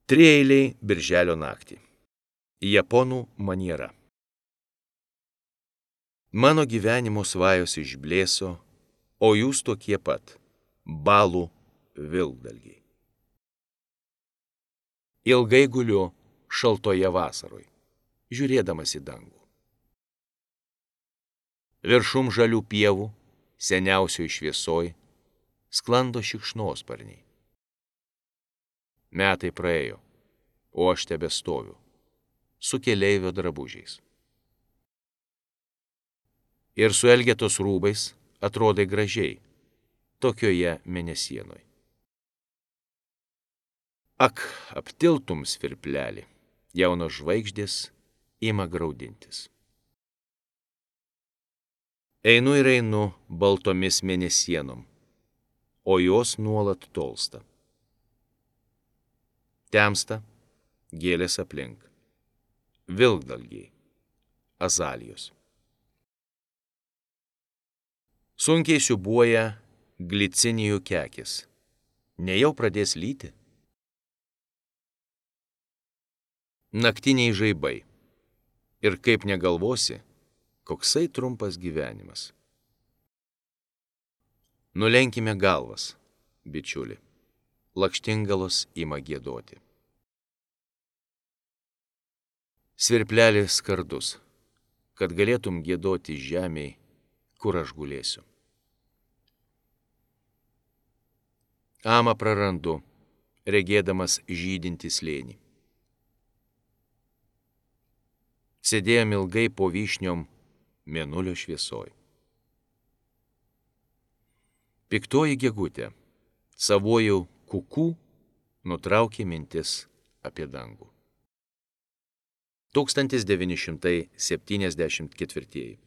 Trieiliai birželio naktį. Japonų maniera. Mano gyvenimo svajos išblėso, o jūs tokie pat – balų vilkdalgiai. Ilgai guliu šaltoje vasaroj, žiūrėdamas į dangų. Viršum žalių pievų, seniausioj šviesoj, sklando šikšnosparniai. Metai praėjo, o aš tebestoviu, su keleivio drabužiais. Ir su Elgetos rūbais atrodai gražiai, tokioje mėnesienoj. Ak, aptiltum svirplelį, jaunos žvaigždės ima graudintis. Einu ir einu baltomis mėnesienom, o jos nuolat tolsta. Temsta gėlės aplink, vilkdalgiai, azalijos. Sunkiai siūbuoja glicinijų kekis, nejau pradės lyti. Naktiniai žaibai, ir kaip negalvosi, koksai trumpas gyvenimas. Nulenkime galvas, bičiuli, lakštingalos ima giedoti. Svirplelis skardus, kad galėtum giedoti žemėj, kur aš gulėsiu. Amą prarandu, regėdamas žydintį slėnį. Sėdėjom ilgai po vyšniom mėnulio šviesoj. Piktoji gegutė, savojų kukų, nutraukė mintis apie dangų. 1974